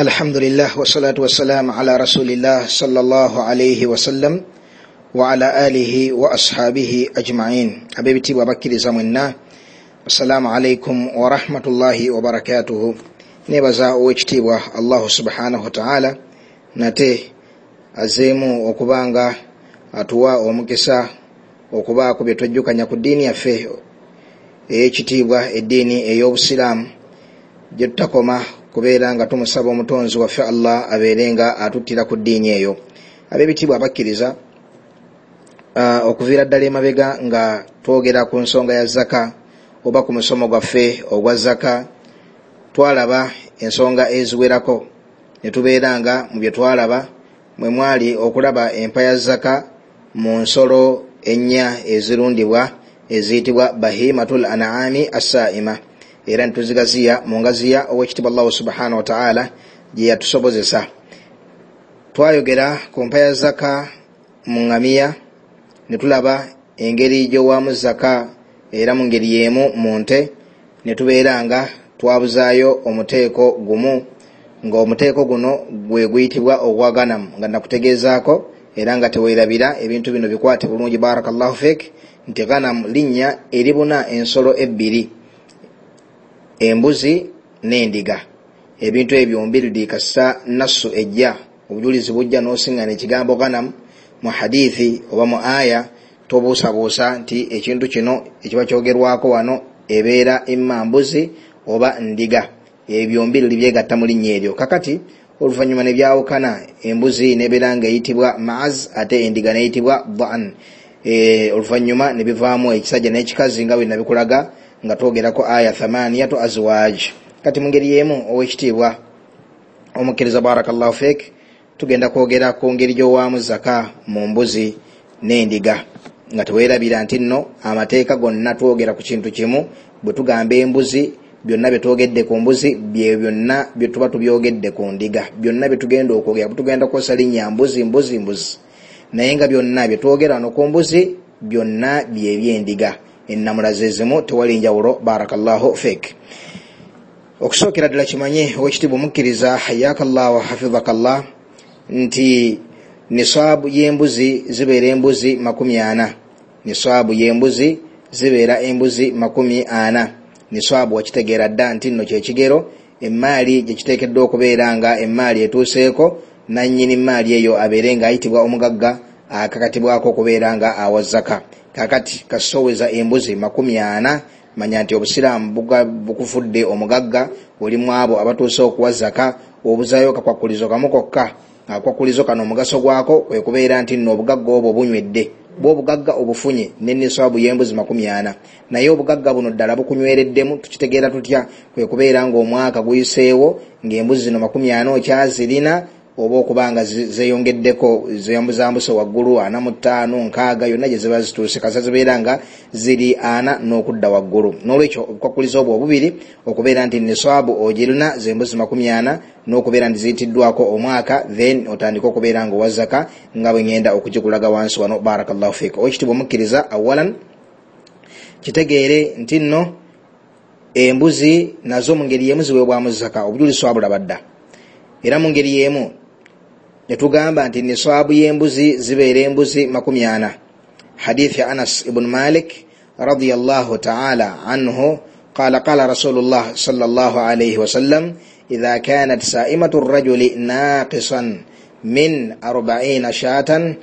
Alhamdulillah wassalatu wassalamu ala rasulillah sallallahu alayhi wasallam wa ala alihi wa ashabihi ajma'in. Ab'ebitiibwa abakkiriza mwenna, assalamu alaikum wa rahmatullahi wa barakatuhu. Nebaza owekitiibwa Allahu subhanahu wa ta'ala nate azeemu okubanga atuwa omukisa okubaako bye twejjukanya ku ddiini yaffe ey'ekitiibwa, eddiini ey'obusiraamu gye tutakoma kubeera nga tumusaba omutonzi waffe Allah abeere nga atuttira ku ddiini eyo. Ab'ebitiibwa abakkiriza, okuviira ddala emabega nga twogera ku nsonga ya zaka oba ku musomo gwaffe ogwa zaka, twalaba ensonga eziwerako ne tubeera nga mu bye twalaba mwe mwali okulaba empa ya zaka mu nsolo ennya ezirundibwa eziyitibwa bahimatul an'ami assaima, era nituzigaziya mu ngaziya owekitiibwa Allahu subhanahu wa ta'ala gye yatusobozesa. Twayogera ku mpa ya zaka mu ŋŋamiya ne tulaba engeri gy'owaamu zaka, era mu ngeri y'emu mu nte ne tubeera nga twabuzaayo omuteeko gumu, ng'omuteeko guno gwe guyitibwa ogwa ganamu, nga nakutegeezaako era nga teweerabira ebintu bino bikwate bulungi, barakallahu fik, nti ganamu linnya eribuna ensolo ebbiri, embuzi n'endiga. Ebintu ebyo byombi kasita nassu ejja, obujulizi bujja n'osiŋŋana ekigambo ganamu mu hadithi oba mu aya, tobuusabuusa nti ekintu kino ekiba kyogerwako wano ebeera imma mbuzi oba ndiga. Ebyo byombi byegatta mu linnya eryo. Kakati oluvannyuma ne byawukana, embuzi n'ebeera nga eyitibwa maaz ate endiga n'eyitibwa dhan. Oluvannyuma ne bivaamu ekisajja n'ekikazi nga bwe nabikulaga nga twogerako aya thamaniyatu azwaj. Kati mu ngeri y'emu owekitiibwa omukkiriza, barakallahu fik, tugenda kwogera ku ngeri gy'owaamu zaka mu mbuzi n'endiga, nga teweerabira nti nno amateeka gonna twogera ku kintu kimu. Bwe tugamba embuzi, byonna bye twogedde ku mbuzi bye byonna bye tuba tubyogedde ku ndiga, byonna bye tugenda okwogera tugenda kukozesa linnya mbuzi mbuzi mbuzi, naye nga byonna bye twogera wano ku mbuzi byonna bye by'endiga, ennamula ze zimu, tewali njawulo, barakallahu fik. Okusookera ddala kimanye owekitiibwa omukkiriza, hayakallah wa hafizakallah, nti nisaabu y'embuzi zibeera embuzi 40. Nisaabu y'embuzi zibeera embuzi 40. Nisaabu wakitegeera dda nti nno kyekigero emmaali gye kiteekeddwa okubeera nga emmaali etuuseeko, nannyini mmaali eyo abeere nga ayitibwa omugagga akakatibwako okubeera nga awa zaka. Kakati kasoweza embuzi 40, manya nti obusiraamu bukufudde omugagga, oli mu abo abatuuse okuwa zaka. Obuzaayo kakwakulizo kamu kokka. Akwakulizo kano omugaso gwako kwe kubeera nti nno obugagga obwo bunywedde, bw'obugagga obufunye ne nisaabu y'embuzi 40, naye obugagga buno ddala bukunywereddemu. Tukitegeera tutya? Kwe kubeera ng'omwaka guyiseewo ng'embuzi zino 40 okyazirina, oba okuba nga zeeyongeddeko, zeyambuzambuse waggulu 45, 60, yonna gye ziba zituuse kasa zibeera nga ziri 40 n'okudda waggulu. N'olwekyo obukwakulizo obwo obubiri, okubeera nti nisaabu ogirina z'embuzi 40 n'okubeera nti ziyitiddwako omwaka, then otandike okubeera nga owa zaka nga bwe ngenda okugikulaga wansi wano, barakallahu fik. Owekitiibwa omukkiriza, awalan kitegeere nti nno embuzi nazo mu ngeri y'emu ziweebwamu zaka, obujulizi twabulaba dda. Era mu ngeri y'emu ne tugamba nti nisaabu y'embuzi zibeera embuzi 40. Hadithi ya Anas ibn Malik radiyallahu ta'ala anhu qala qala Rasulullah sallallahu alayhi wasallam idha kanat sa'imatu rajuli naqisan min 40 shatan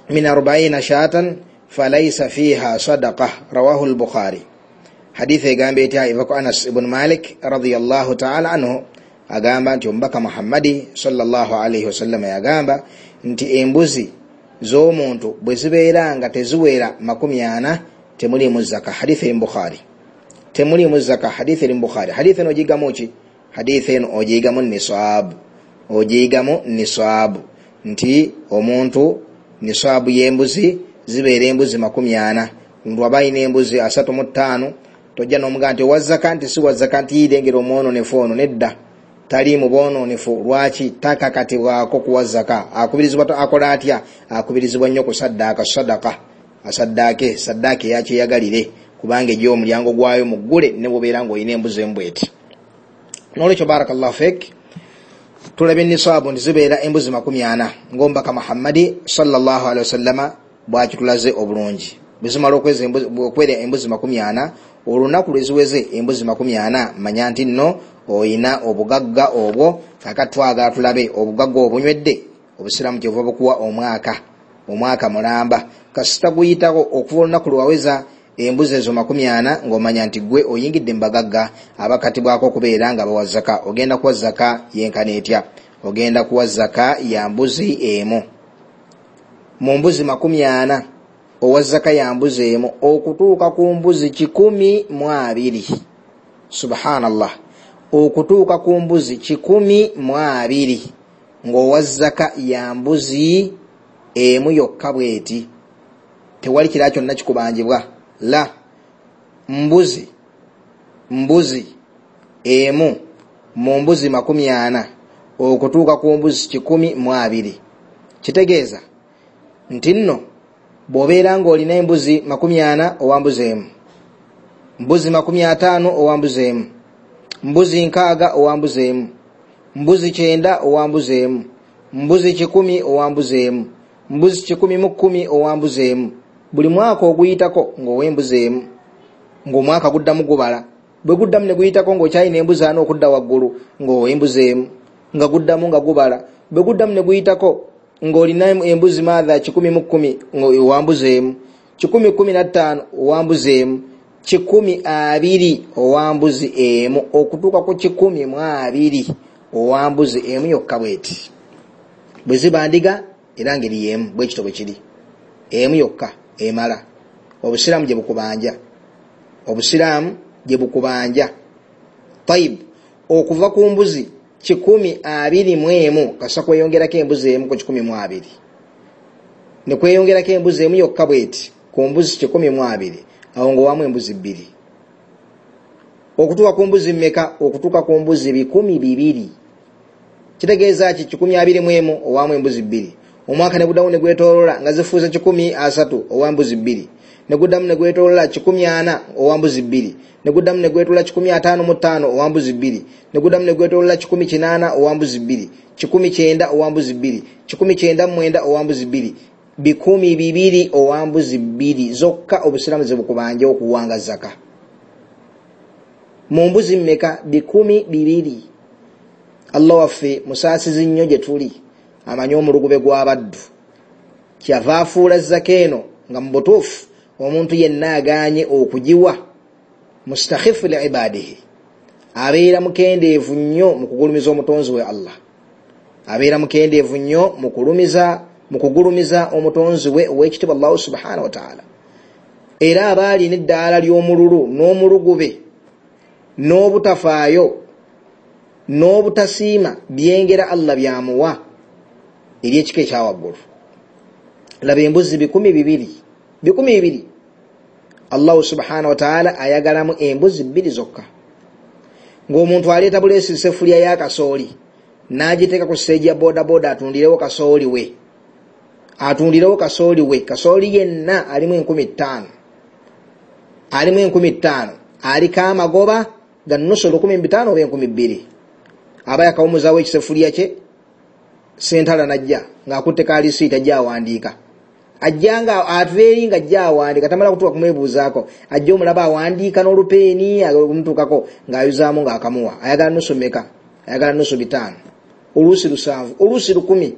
min 40 shatan falaysa fiha sadaqah, rawahu al-Bukhari. Hadithi egamba etya? Eva ku Anas ibn Malik radiyallahu ta'ala anhu agamba nti omubaka Muhammadi sallallahu alayhi wasallam yagamba nti embuzi z'omuntu bwe zibeera nga teziwera 40 temuliimu zaka. Hadithi eri mu Bukhari, temuliimu zaka. Hadithi eri mu Bukhari. Hadithi eno ogiyigamu ki? Hadithi eno ogiyigamu nisaabu, ogiyigamu nisaabu nti omuntu nisaabu y'embuzi zibeera embuzi 40. Omuntu aba alina embuzi 35, tojja n'omugamba nti owa zaka nti si wa zaka nti yirengera omwononefu ono, nedda, tali mu bwononefu. Lwaki? Takakatibwako kuwa zaka. Akubirizibwa akola atya? Akubirizibwa nnyo kusaddaaka sadaka, asaddaake saddaake yakyeyagalire, kubanga ejja omulyango gwayo muggule ne bw'obeera ng'olina embuzi embweti. N'olwekyo barakallahu fik, Tulabye nisaabu nti zibeera embuzi 40 ng'omubaka Muhammadi sallallahu alaihi wasallama bwakitulaze obulungi. Bwe zimala okwera embuzi 40, olunaku lwe ziweze embuzi 40, manya nti nno oyina obugagga obwo. Kaakati twagala tulabe obugagga obunywedde. Obusiraamu kyebuva bukuwa omwaka mulamba, kasita guyitako okuva olunaku lwewaweza embuzi ezo 40, ng'omanya nti gwe oyingidde mu bagagga abakatibwako okubeera nga bawa zaka. Ogenda kuwa zaka yenkana etya? Ogenda kuwa zaka ya mbuzi emu. Mu mbuzi 40 owa zaka ya mbuzi emu okutuuka ku mbuzi 120. Subhanallah, okutuuka ku mbuzi 120 ng'owa zaka ya mbuzi emu yokka bweti, tewali kirala kyonna kikubanjibwa. La mbuzi emu mu mbuzi 40 okutuuka ku mbuzi 120. Kitegeeza nti nno bw'obeera ng'olina embuzi 40 owa mbuzi emu, mbuzi 50 owa mbuzi emu, mbuzi 60 owa mbuzi emu, mbuzi 90 owa mbuzi emu, mbuzi 100 owa mbuzi emu, mbuzi 110 owa mbuzi emu. Buli mwaka oguyitako ng'ow'embuzi emu, ng'omwaka guddamu gubala. Bwe guddamu ne guyitako ng'okyalina embuzi ana okudda waggulu, ng'ow'embuzi emu, nga guddamu nga gubala. Bwe guddamu ne guyitako ng'olina embuzi maatha 110 ng'owa mbuzi emu, 115 owa mbuzi emu, 120 owa mbuzi emu, okutuuka ku 120 owa mbuzi emu yokka bweti. Bwe ziba ndiga era ngeri y'emu, bwe kityo bwe kiri, emu yokka emala. Obusiraamu gye bukubanja, obusiraamu gye bukubanja. Tayib, okuva ku mbuzi 121 kasa kweyongerako embuzi emu ku 120, ne kweyongerako embuzi emu yokka bweti ku mbuzi 120, awo ng'owamu embuzi 2. Okutuuka ku mbuzi mmeka? Okutuuka ku mbuzi 200. Kitegeeza ki? 121 owamu embuzi 2. Omwaka ne guddamu ne gwetoolola nga zifuuze 130 owa mbuzi 2, ne guddamu ne gwetoolola 140 owa mbuzi 2, ne guddamu ne gwetoolola 155 owa mbuzi 2, ne guddamu ne gwetoolola 180 owa mbuzi 2, 190 owa mbuzi 2, 199 owa mbuzi 2, 200 owa mbuzi 2 zokka. Obusiraamu ze bukubanja okuwanga zaka. Mu mbuzi mmeka? 200. Allah waffe musaasizi nnyo gye tuli, amanyi omulugube gw'abaddu. Kyava afuula zaka eno nga mu butuufu omuntu yenna agaanye okugiwa mustakhifu li ibadihi, abeera mukendeevu nnyo mu kugulumiza omutonzi we Allah, abeera mukendeevu nnyo mu kugulumiza omutonzi we ow'ekitiibwa Allahu subhanahu wa ta'ala. Era aba alina eddaala ly'omululu n'omulugube n'obutafaayo n'obutasiima byengera Allah byamuwa eri ekika ekyawaggulu. Laba embuzi 200, 200. Allahu subhanahu wa ta'ala ayagalamu embuzi 2 zokka. Ng'omuntu aleeta buleesi sefulya ya kasooli n'agiteeka ku siteegi ya bodaboda atundirewo kasooli we, atundirewo kasooli we. Kasooli yenna alimu 5000, alimu 5000, aliko amagoba ga nusu 1500 oba 2000. Aba yakawumuzaawo ekisefulya kye, sentala najja ng'akutte kalisiiti ajja awandiika, ajja nga ava eri nga ajja awandiika, tamala kutuuka kumwebuuzaako, ajja omulaba awandiika n'olupeeni okumutuukako ng'ayuzaamu ng'akamuwa. Ayagala nusu mmeka? Ayagala nusu 500, oluusi 7, oluusi 10.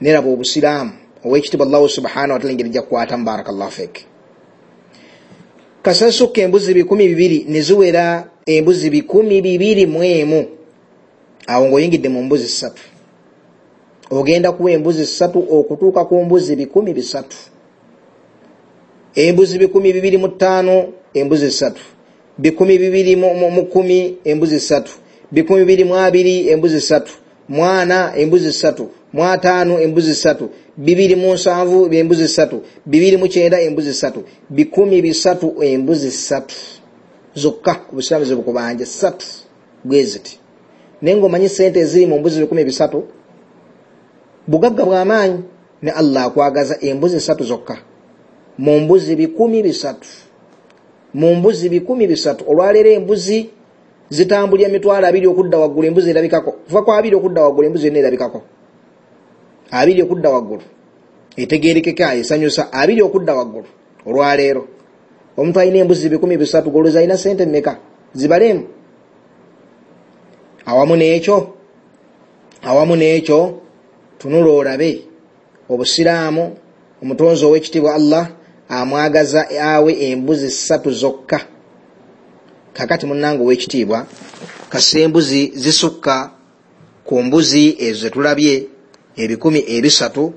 Neraba obusiraamu ow'ekitiibwa Allahu subhanahu wa ta'ala engeri gy'akukwatamu. Barakallahu fik. Kasasukka embuzi 200 ne ziwera embuzi 221, awo ng'oyingidde mu mbuzi 3. Ogenda kuwa embuzi 3 okutuuka ku mbuzi 300. Embuzi 225, embuzi 3, 210, embuzi 3, 220, embuzi 3, 4, embuzi 3, 5, embuzi 3, 207, embuzi 3, 209, embuzi 3, 300, embuzi 3 zokka. Obusiraamu ze bukubanja 3 bweziti. Naye ng'omanyi sente eziri mu mbuzi 300, bugagga bw'amaanyi. Ne Allah akwagaza embuzi 3 zokka mu mbuzi 300, mu mbuzi 300. Olwaleero embuzi Zitambulira 20,000 okudda waggulu embuzi erabikako. Kuva ku 20 okudda waggulu embuzi yonna erabikako. 20 okudda waggulu etegeerekeka, esanyusa. 20 okudda waggulu olwaleero omuntu alina embuzi 300 goloza alina sente mmeka? Zibalemu. Awamu n'ekyo tunula olabe obusiraamu omutonzi ow'ekitiibwa Allah amwagaza awe embuzi 3 zokka. Kakati munnange ow'ekitiibwa, kasa embuzi zisukka ku mbuzi ezo zetulabye 300,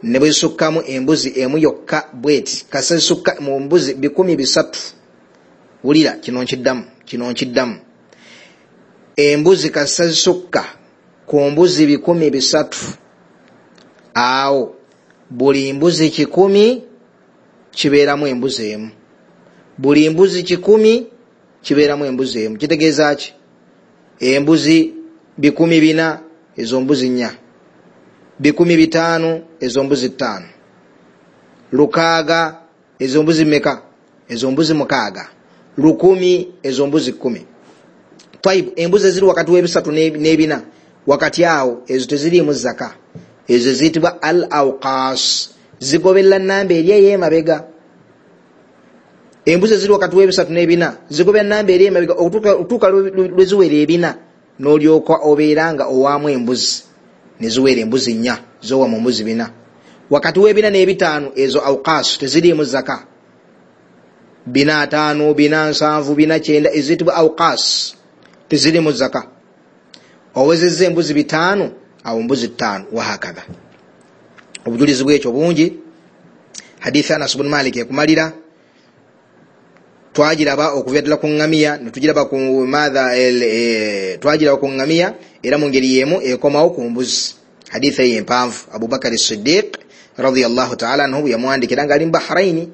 ne bwe zisukkamu embuzi emu yokka bweti, kasa zisukka mu mbuzi 300. Wulira kino nkiddamu. Embuzi kasa zisukka ku mbuzi 300, awo buli mbuzi 100 kibeeramu embuzi emu. Buli mbuzi 100 kibeeramu embuzi emu. Kitegeeza ki? Embuzi 400 ezo mbuzi 4, 500 ezo mbuzi 5, 600 ezo mbuzi mmeka? Ezo mbuzi 6, 1000 ezo mbuzi 10. Taibu, embuzi eziri wakati w'ebisatu n'ebina wakati awo ezo teziriimu zaka, ezo ziyitibwa al awqas, zigoberera namba eri ey'emabega. Embuzi eziri wakati w'ebisatu n'ebina zigoberera namba eri emabega okutuuka lwe ziwera ebina, n'olyoka obeera nga owaamu embuzi ne ziwera embuzi 4 zowa mu mbuzi 4. Wakati w'ebina n'ebitaano ezo awqas teziriimu zaka, 405, 407, 490 eziyitibwa awqas teziriimu zaka. Owezezza embuzi 5, awo mbuzi 5, wahakadha. Obujulizi bwekyo bungi. Hadithi Anas ibn Malik ekumalira, twagiraba okuva ddala ku ŋŋamiya ne tugiraba ku madha, twagiraba ku ŋŋamiya era mu ngeri y'emu ekomawo ku mbuzi. Hadithi eyo empanvu Abubakar Siddiq radiyallahu ta'ala anhu yamuwandikira ng'ali mu Bahraini,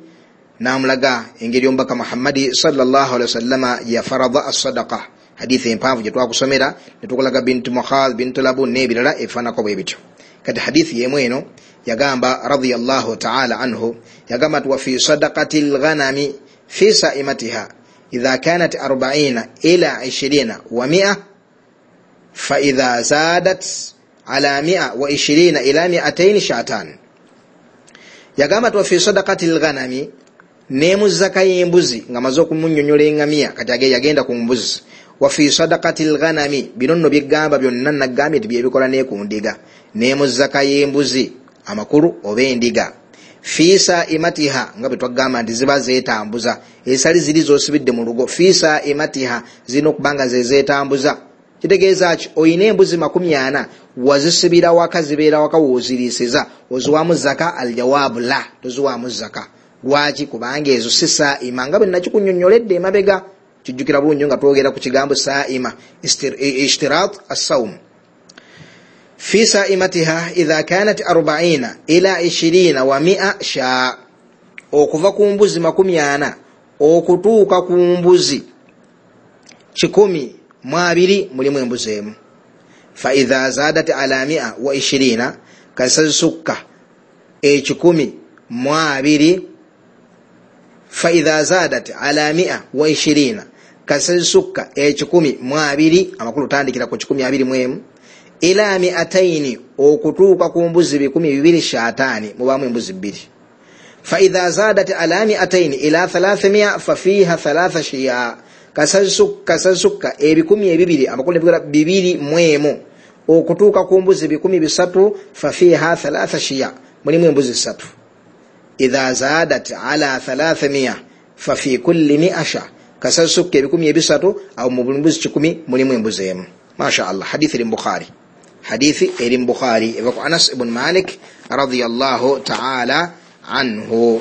n'amulaga engeri omubaka Muhammadi sallallahu alaihi wasallama yafarada as-sadaqa. Hadithi empanvu gye twakusomera ne tukulaga bintu Mukhadh, bintu Labun n'ebirala ebifaananako bwe bityo. Kati hadithi y'emu eno yagamba radiyallahu ta'ala anhu, yagamba nti wa fi sadaqati al-ghanami fi sa'imatiha idha kanat 40 ila 20 wa 100 fa idha zadat ala 120 ila 200 shatan. Yagamba nti wa fi sadaqati al-ghanami, ne zaka y'embuzi nga maze okumunnyonnyola eŋŋamiya, kati yagenda ku mbuzi. Wa fi sadaqati al-ghanami, bino nno byegamba byonna nagambye nti byebikola ne ku ndiga. Ne mu zaka y'embuzi amakulu oba endiga, fi sa'imatiha, nga bwe twagamba nti ziba zeetambuza, esali ziri z'osibidde mu lugo, fi sa'imatiha zirina okuba nga ze zeetambuza. Kitegeeza ki? Oyina embuzi 40 wazisibira waka, zibeera waka w'oziriisiza, oziwaamu zaka? Aljawaabu la, toziwaamu zaka. Lwaki? Kubanga ezo si sa'ima, nga bwe nakikunnyonnyoledde emabega. Kijjukira bulungi nga twogera ku kigambo sa'ima, ishtirat as-sawm. Fi sa'imatiha idha kanat 40 ila 20 wa 100 sha, okuva ku mbuzi 40 okutuuka ku mbuzi 120 mulimu embuzi emu. Fa idha zadat ala 120, kasazisukka 120, fa idha zadat ala 120, kasazisukka 120, amakulu tandikira ku 121 ila 200 okutuuka ku mbuzi 200 shatani, mubaamu embuzi 2. Fa idha zadat ala 200 ila 300 fa fiha 3 shiya, kasazisukka 200, amakulu nebikola 201 okutuuka ku mbuzi 300, fa fiha 3 shiya, mulimu embuzi 3. Idha zadat ala 300 fa fi kulli 100 sha, kasazisukka 300, awo mu buli mbuzi 100 mulimu embuzi emu. Masha Allah, hadithi eri Bukhari, hadithi eri Bukhari eva ku Anas ibn Malik radiyallahu ta'ala anhu.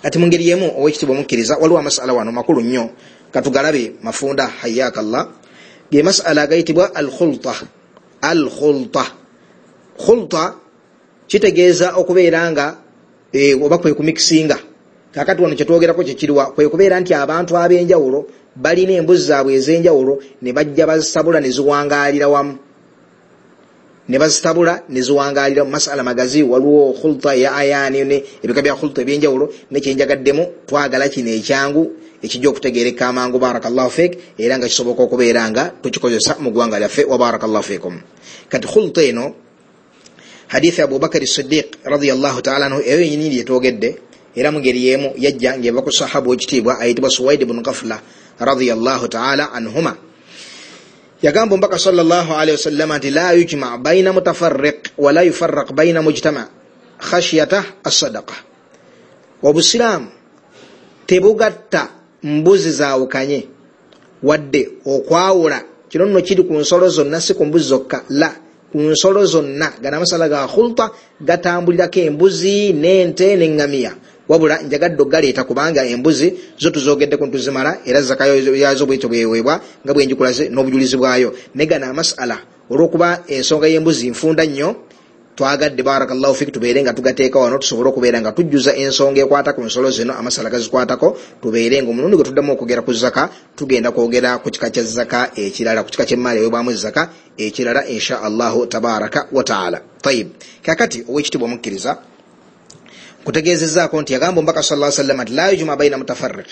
Ati mu ngeri y'emu ow'ekitiibwa omukkiriza, waliwo amasala wano makulu nnyo, katugalabe mafunda hayyakallah. Ge masala agayitibwa al-khulta. Al-khulta, khulta kitegeeza okubeera nga oba kwe kumikisinga. Kakati wano kyetwogerako kyekiriwa, kwe kubeera nti abantu ab'enjawulo balina embuzi zaabwe ez'enjawulo ne bajja bazisabula ne ziwangaalira wamu. Ne bazitabula ne ziwangaalira mu masala magazi. Waliwo khulta ya ayani ne ebika bya khulta ebyenjawulo, nekyenjagaddemu twagala kino ekyangu ekijja okutegeereka amangu, barakallahu fik, era nga kisoboka okubeera nga tukikozesa mu ggwanga lyaffe, wa barakallahu fikum. Kati khulta eno, hadithi Abubakari Siddiq radiyallahu taala anhu, eyo yenyini yetwogedde, era mu ngeri y'emu yajja ng'eva ku sahaba w'ekitiibwa ayitibwa Suwaid ibn Ghafla radiyallahu taala anhuma. Yagamba omubaka sallallahu alaihi wasallam nti la yujma baina mutafarriq wala yufarraq baina mujtama khashyata as-sadaqa. Obusiraamu tebugatta mbuzi zaawukanye wadde okwawula. Kino nno kiri ku nsolo zonna, si ku mbuzi zokka, la, ku nsolo zonna. Gano amasala ga khulta gatambulirako embuzi n'ente n'eŋŋamiya, wabula njagadde okugaleeta kubanga embuzi zo tuzogeddeko ntuzimala, era zaka yazo bwetyo bweweebwa nga bwenjikulaze n'obujulizi bwayo. Naye gano amasala olw'okuba ensonga y'embuzi nfunda nnyo, twagadde barakallahu fik tubeere nga tugateeka wano, tusobole okubeera nga tujjuza ensonga ekwata ku nsolo zino, amasala gazikwatako, tubeere nga omulundi gwe tuddamu okwogera ku zaka tugenda kwogera ku kika kya zaka ekirala, ku kika ky'emmaali eweebwamu zaka ekirala, insha Allahu tabaraka wa taala. Tayib, kakati ow'ekitiibwa omukkiriza, nkutegeezezzaako nti yagamba omubaka sallallahu alaihi wasallam nti la yujma baina mutafarriq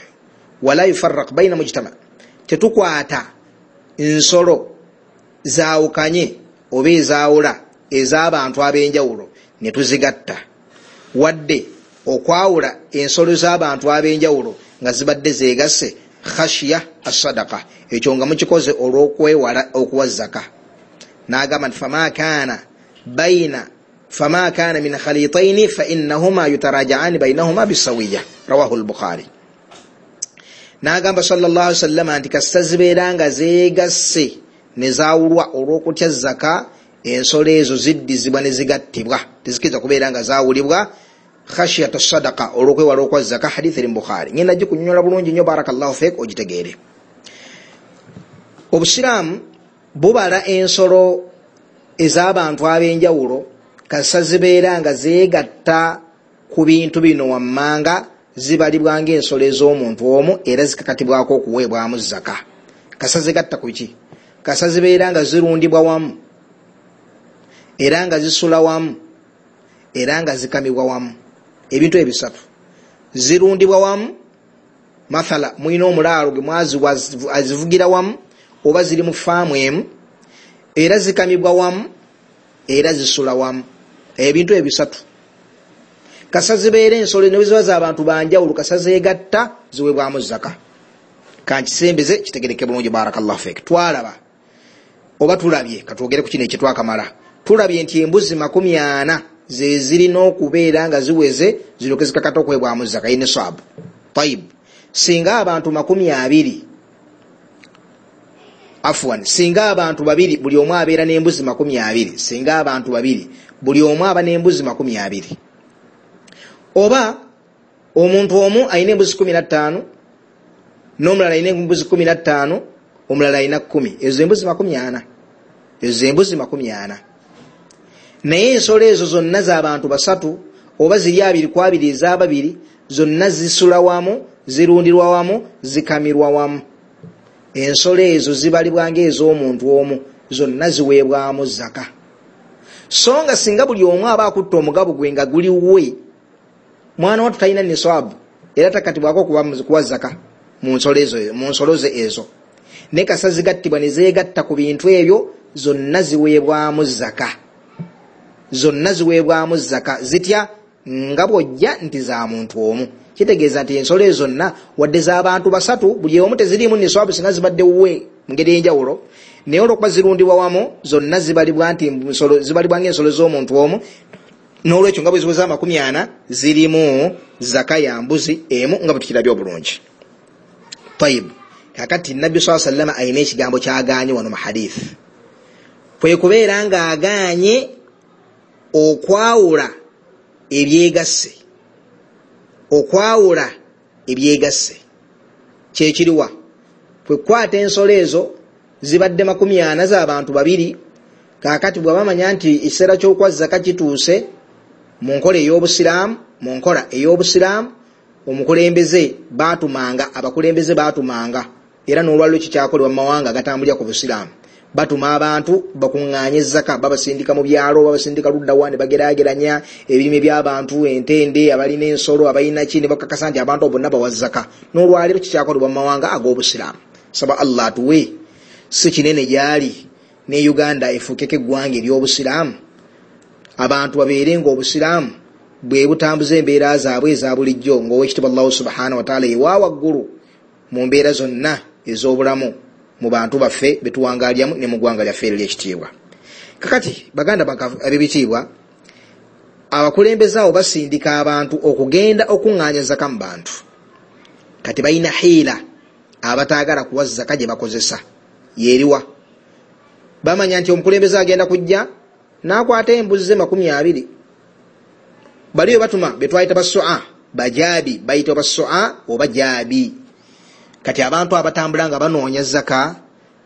wala yufarraq baina mujtama. Tetukwata nsolo zaawukanye oba ezaawula ez'abantu ab'enjawulo ne tuzigatta, wadde okwawula ensolo z'abantu ab'enjawulo nga zibadde zeegasse, khashiya as-sadaqa, ekyo nga mukikoze olw'okwewala okuwa zaka. N'agamba nti fama kana min khalitaini fa innahuma yutaraja'ani bainahuma bisawiya, rawahu al-Bukhari. N'agamba sallallahu alaihi wasallam nti kasita zibeera nga zeegasse ne zaawulwa olw'okutya zaka, ensolo ezo ziddizibwa ne zigattibwa, tezikiriza kubeera nga zaawulibwa khashiyata sadaqa, olw'okwewala okwa zaka. Hadithi eri mu Bukhari, ngenda gikunyonyola bulungi nnyo, barakallahu fik, ogitegeere. Obusiraamu bubala ensolo ez'abantu ab'enjawulo kasita zibeera nga zeegatta ku bintu bino wammanga, zibalibwa ng'ensolo ez'omuntu omu, era zikakatibwako okuweebwamu zaka. Kasita zigatta ku ki? Kasita zibeera nga zirundibwa wamu, era nga zisula wamu, era nga zikamibwa wamu. Ebintu ebisatu: zirundibwa wamu, mathala mulina omulaalo gwe mwaziwa azivugira wamu, oba ziri mu faamu emu, era zikamibwa wamu, era zisula wamu. Ebintu ebisatu kasa zibeera ensolo ne bwe ziba z'abantu banjawulo, kasa zeegatta ziweebwamu zaka. Kankisembeze kitegereke bulungi, barakallahu fik. Twalaba oba tulabye, katwogere ku kino ekitwakamala, tulabye nti embuzi 40 ze zirina okubeera nga ziweze ziryoke zikakata okuweebwamu zaka, ye nisaabu. Tayib, singa abantu 20, afwan, singa abantu babiri buli omu abeera n'embuzi 20, singa abantu babiri buli omu aba n'embuzi 20, oba omuntu omu alina embuzi 15 n'omulala alina embuzi 15, omulala alina 10, ezo embuzi 40, ezo embuzi 40. Naye ensolo ezo zonna z'abantu basatu, oba ziri 2 ku 2 ez'ababiri, zonna zisula wamu, zirundirwa wamu, zikamirwa wamu. Ensolo ezo zibalibwa ng'ez'omuntu omu, zonna ziweebwamu zaka. So nga singa buli omu aba akutta omugabo gwe nga guli we, mwana wattu talina nisaabu, era takatibwako kuwa zaka mu nsolo ze ezo. Naye kasa zigattibwa ne zeegatta ku bintu ebyo, zonna ziweebwamu zaka. Zonna ziweebwamu zaka. Zitya? Nga bw'ojja nti za muntu omu. Kitegeeza nti ensolo ezo zonna wadde z'abantu basatu, buli omu teziriimu nisaabu singa zibadde wuwe mu ngeri ey'enjawulo, naye olw'okuba zirundibwa wamu, zonna zibalibwa nti zibalibwa ng'ensolo z'omuntu omu. N'olwekyo nga bwe ziweza 40 zirimu zaka ya mbuzi emu, nga bwe tukirabye obulungi. Tayib, kakati Nabbi sallallahu alaihi wasallam alina ekigambo ky'agaanye wano mu hadith, kwe kubeera ng'agaanye okwawula ebyegasse. Okwawula ebyegasse kyekiriwa? Kwe kukwata ensolo ezo zibadde 40 z'abantu babiri, kaakati bwe bamanya nti ekiseera ky'okuwa zaka kituuse mu nkola ey'obusiraamu, mu nkola ey'obusiraamu omukulembeze baatumanga, abakulembeze baatumanga, era n'olwaliro kikyakolebwa mu mawanga agatambulira ku busiraamu, Batuma abantu bakuŋŋaanye zaka, babasindika mu byalo, babasindika ludda wa, ne bageraageranya ebirime by'abantu, entende, abalina ensolo, abalina ki, ne bakakasa nti abantu abo bonna bawa zaka. N'olwaleero kikyakolebwa mu mawanga ag'obusiraamu. Saba Allah atuwe si kinene gyali ne Uganda efuukeko eggwanga ery'obusiraamu, abantu babeere ng'obusiraamu bwe butambuza embeera zaabwe eza bulijjo, ng'owekitiibwa Allahu subhanahu wa taala ewa waggulu mu mbeera zonna ez'obulamu mu bantu baffe betuwangalyamu ne mu ggwanga lyaffe eryo ery'ekitiibwa. Kakati baganda ab'ebitiibwa, abakulembeze abo basindika abantu okugenda okuŋŋaanya zaka mu bantu. Kati balina hiila abataagala kuwa zaka gye bakozesa yeeriwa. Bamanya nti omukulembeze agenda kujja n'akwata embuzi ze 20. Baliyo batuma betwayita basua bajabi, bayitibwa basua oba jabi. Kati abantu abatambula nga banoonya zaka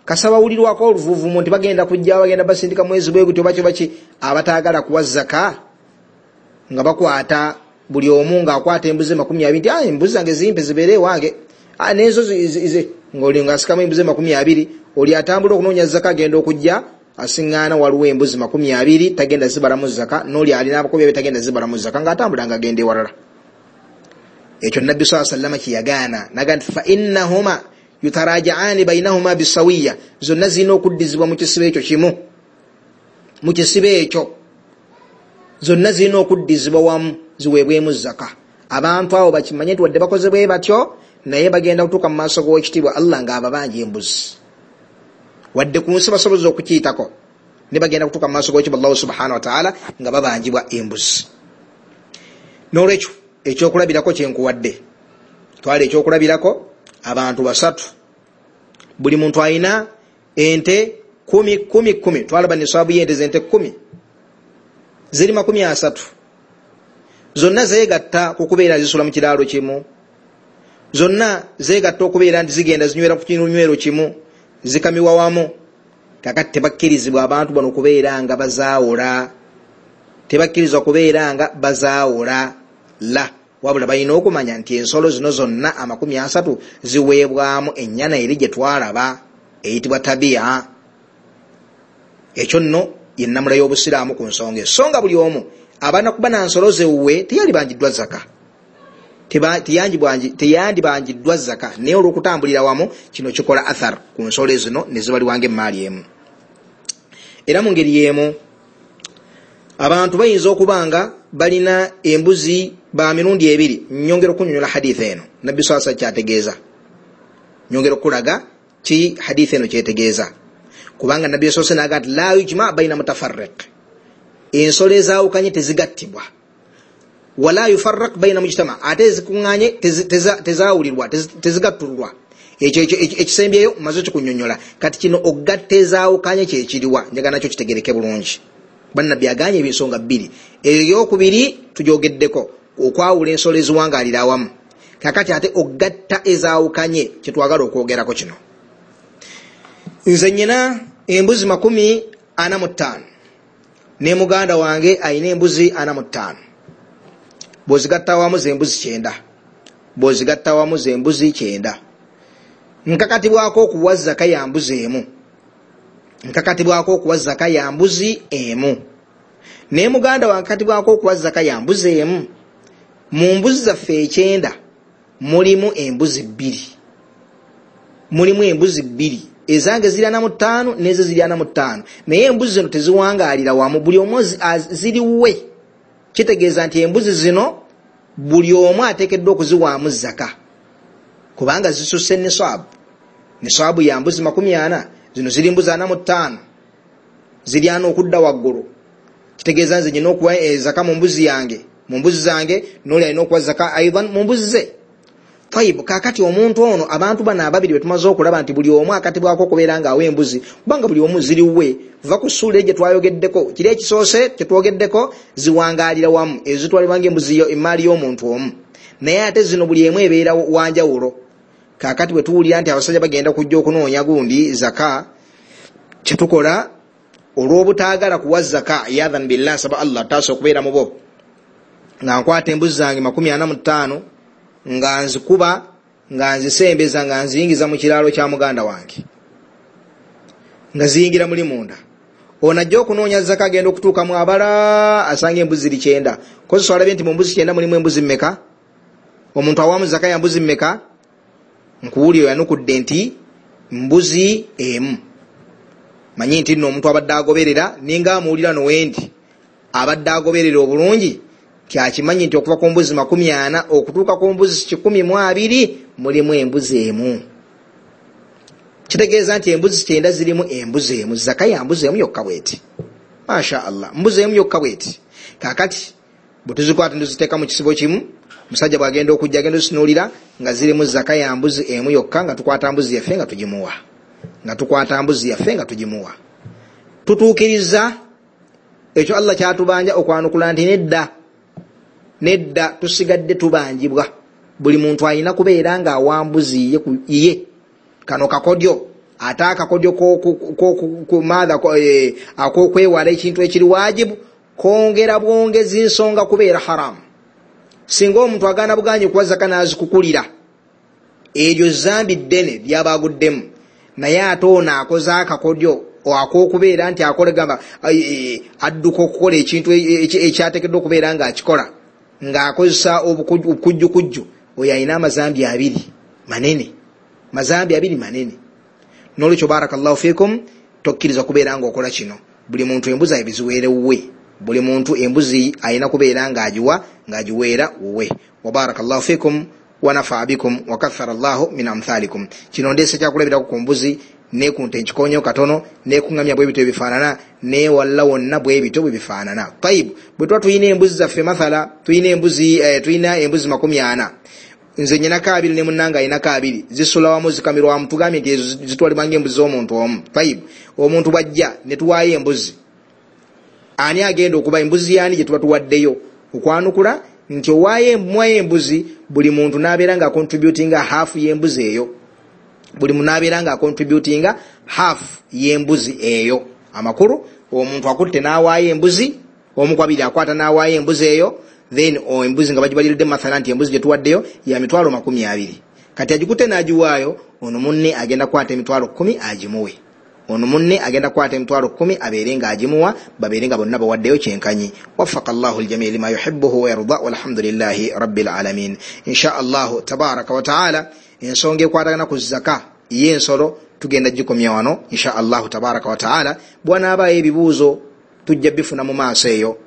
kasaba wulirwako oluvuvumu nti bagenda kujja, bagenda basindika mwezi bwe gutyo bakyo baki, abataagala kuwa zaka nga bakwata buli omu ng'akwata embuzi 20 nti embuzi zange zimpe zibeere ewange, n'ezo ng'oli ng'asikamu embuzi 20. Oli atambula okunoonya zaka agenda okujja asiŋŋaana waliwo embuzi 20 tagenda zibalamu zaka, n'oli alina abakobi be tagenda zibalamu zaka, ng'atambula ng'agenda ewalala. Ekyo Nabbi sallallahu alayhi wasallam kiyagaana naga nti fa innahuma yutarajaani bainahuma bisawiya, zonna zirina okuddizibwa mu kisibo ekyo kimu, mu kisibo ekyo zonna zirina okuddizibwa wamu ziweebwemu zaka. Abantu abo bakimanye nti wadde bakoze bwe batyo, naye bagenda kutuuka mu maaso g'owekitiibwa Allah ng'ababanja embuzi. Wadde ku nsi basoboza okukiyitako, ne bagenda kutuuka mu maaso g'owekitiibwa Allah subhanahu wa ta'ala nga babanjibwa embuzi. N'olwekyo ekyokulabirako kyenkuwadde, twala ekyokulabirako abantu basatu, buli muntu alina ente 10 10 10. Twalaba niswabu y'ente z'ente 10 ziri 30, zonna zeegatta ku kubeera zisula mu kiraalo kimu, zonna zeegatta okubeera nti zigenda zinywera ku kinywero kimu, zikamiwa wamu. Kakati tebakkirizibwa abantu bano kubeera nga bazaawula, tebakkirizibwa kubeera nga bazaawula la, wabula balina okumanya nti ensolo zino zonna 30 ziweebwamu ennyana eri gye twalaba eyitibwa tabi'a. Ekyo nno ye nnamula y'obusiraamu ku nsonga eyo. So nga buli omu abaana kuba na nsolo zewuwe teyalibanjiddwa zaka, teyandibanjiddwa zaka, naye olw'okutambulira wamu kino kikola athar ku nsolo zino ne zibaliwanga emmaali emu. Era mu ngeri y'emu abantu bayinza okuba nga balina embuzi ba mirundi ebiri. Nyongera okunyonyola hadith eno Nabbi sallallahu alayhi wasallam kyategeeza, nyongera okulaga ki hadith eno kyetegeeza, kubanga Nabbi sallallahu alayhi wasallam n'agamba nti la yujma baina mutafarriq, ensolo ezaawukanye tezigattibwa, wala yufarraq baina mujtama, ate ezikuŋŋaanye tezaawulirwa, tezigattululwa. Ekyo ekisembyeyo maze kikunyonyola. Kati kino ogatta ezaawukanye kyekiriwa, njagala nakyo kitegereke bulungi. Bannabbi aganye ebinsonga bbiri, eyo eyokubiri tujogeddeko okwawula ensolo eziwangaalira awamu, kakati ate ogatta ezaawukanye kyetwagala okwogerako kino. Nze nnyina embuzi 45 ne muganda wange ayina embuzi 45, bw'ozigatta awamu z'embuzi 90, bw'ozigatta awamu z'embuzi 90. Nkakatibwako okuwa zaka ya mbuzi emu, nkakatibwako okuwa zaka ya mbuzi emu, naye muganda wange nkakatibwako okuwa zaka ya mbuzi emu. Mu mbuzi zaffe 90 mulimu embuzi 2, mulimu embuzi 2, ezange ziri 45 n'ezo ziri 45, naye embuzi zino teziwangaalira wamu, buli omu ziriwe. Kitegeeza nti embuzi zino buli omu ateekeddwa okuziwaamu zaka, kubanga zisusse niswabu. Niswabu ya mbuzi 40, zino ziri mbuzi 45, ziri 40 okudda waggulu. Kitegeeza nze nnyina okuwa zaka mu mbuzi yange, mu mbuzi zange, n'oli alina okuwa zaka aidan mu mbuzi ze. Tayibu, kakati omuntu ono, abantu bano ababiri be tumaze okulaba nti buli omu akatibwako okubeera ng'awa embuzi, kubanga buli omu ziriwe. Va ku ssuula gye twayogeddeko, kiri ekisoose kye twogeddeko ziwangaalira wamu, ezo zitwalibwa ng'embuzi emmaali y'omuntu omu, naye ate zino buli emu ebeera wanjawulo. Kakati bwe tuwulira nti abasajja bagenda kujja okunoonya gundi zaka, kyetukola olw'obutaagala kuwa zaka, yadhan billah, nsaba Allah taasa okubeera mu bo, nga nkwata embuzi zange 45 nga nzikuba, nga nzisembeza, nga nziyingiza mu kiraalo kya muganda wange, Nga ziyingira muli munda. Ono ajja okunoonya zaka, agenda okutuuka mu abala asanga embuzi ziri 90. Kozesa olabye nti mu mbuzi 90 mulimu embuzi mmeka? Omuntu awamu zaka ya mbuzi mmeka? Nkuwulira oyanukudde nti mbuzi emu. Manyi nti nno omuntu abadde agoberera, ninga amuwulira nowendi abadde agoberera obulungi, kyakimanyi nti okuva ku mbuzi 40 okutuuka ku mbuzi 120 mulimu embuzi emu. Kitegeeza nti embuzi 90 zirimu embuzi emu. Zaka ya mbuzi emu yokka bweti. Masha Allah, mbuzi emu yokka bweti. Kaakati bwe tuzikwata tuziteeka mu kisibo kimu, musajja bw'agenda okujja agenda ozitunuulira nga zirimu zaka ya mbuzi emu yokka, nga tukwata mbuzi yaffe nga tugimuwa. Nga tukwata mbuzi yaffe nga tugimuwa. Tutuukiriza ekyo Allah kyatubanja okwanukula nti nedda, nedda, tusigadde tubanjibwa. Buli muntu alina kubeera nga awa mbuzi ye. Kano kakodyo, ate akakodyo ak'okwewala ekintu ekiri wajibu kwongera bwongezi nsonga kubeera haramu. Singa omuntu agaana buganyi kuwa zaka n'azikukulira, eryo zambi ddene ly'abaaguddemu. Naye ate ono akoze akakodyo ak'okubeera nti akola gamba adduka okukola ekintu ekyateekeddwa okubeera ng'akikola ng'akozesa obukujjukujju, oyo alina amazambi abiri manene. Mazambi abiri manene. N'olwekyo barakallahu fikum, tokkiriza kubeera ng'okola kino. Buli muntu embuzi abiziweere wuwe. Buli muntu embuzi alina kubeera ng'agiwa, ng'agiweera wuwe. Wa barakallahu fikum wa nafaa bikum wa kathara Allahu min amthalikum. Kino ndeese kyakulabirako ku mbuzi, ne ku nte nkikonyeyo katono, ne ku ŋŋamya bwe bityo ebifaanana, ne walla wonna bwe bityo bwe bifaanana. Tayibu, bwe tuba tulina embuzi zaffe, mathala tulina embuzi 40, nze nnyinako 2 ne munnange alinako 2, zisula wamu zikamirwa wamu, tugambye nti ezo zitwalibwa ng'embuzi z'omuntu omu. Tayibu, omuntu bw'ajja ne tuwaayo embuzi, ani agenda okuba embuzi yaani gye tuba tuwaddeyo? Okwanukula nti owaayo muwayo embuzi, buli muntu n'abeera nga acontributinga half y'embuzi eyo. Buli muntu n'abeera nga acontributinga half y'embuzi eyo. Amakulu, omuntu akutte n'awaayo embuzi, omu ku abiri akwata n'awaayo embuzi eyo, then embuzi nga bagibaliridde mathala nti embuzi gye tuwaddeyo ya mitwalo 20. Kati agikutte n'agiwaayo, ono munne agenda kukwata emitwalo 10 agimuwe. Ono munne agenda kukwata emitwalo 10 abeere ng'agimuwa, babeere nga bonna bawaddeyo kyenkanyi. Waffaka Allahu al-jamii lima yuhibbuhu wa yarda, walhamdulillahi rabbil alamin. Insha Allahu tabaraka wa taala, ensonga ekwatagana ku zaka y'ensolo tugenda gikomya wano insha Allahu tabaraka wa taala. Bw'anaabaayo ebibuuzo tujja bifuna mu maaso eyo,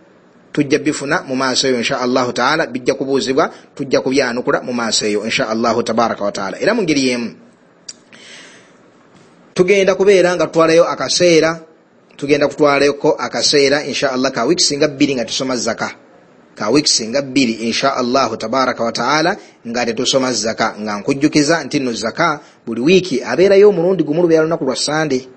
tujja bifuna mu maaso eyo insha Allahu taala, bijja kubuuzibwa, tujja kubyanukula mu maaso eyo insha Allahu tabaraka wa taala. Era mu ngeri y'emu tugenda kubeera nga tutwalayo akaseera, tugenda kutwalayoko akaseera insha Allah ka wiiki singa 2 nga tusoma zaka, ka wiiki singa 2 insha Allahu tabaraka wa taala nga tetusoma zaka. Nga nkujjukiza nti nno zaka buli wiiki abeerayo omulundi gumu, lubeera lunaku lwa Sande,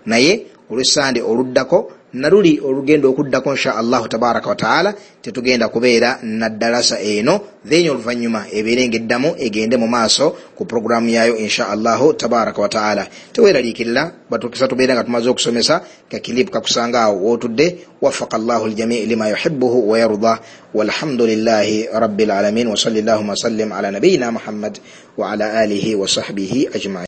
naye olw'Essande oluddako naluli olugenda okuddako insha Allahu tabaraka wa taala tetugenda kubeera na ddalasa eno, then oluvannyuma ebeere ng'eddamu egende mu maaso ku programu yaayo insha Allahu tabaraka wa taala. Teweeraliikirira, batukisa tubeera nga tumaze okusomesa, kakilipu kakusanga awo wootudde. Waffaka Allahu al-jamii lima yuhibbuhu wa yarda, walhamdulillahi rabbil alamin, wa salli Allahumma sallim ala nabiyyina Muhammad wa ala alihi wa sahbihi ajma'in.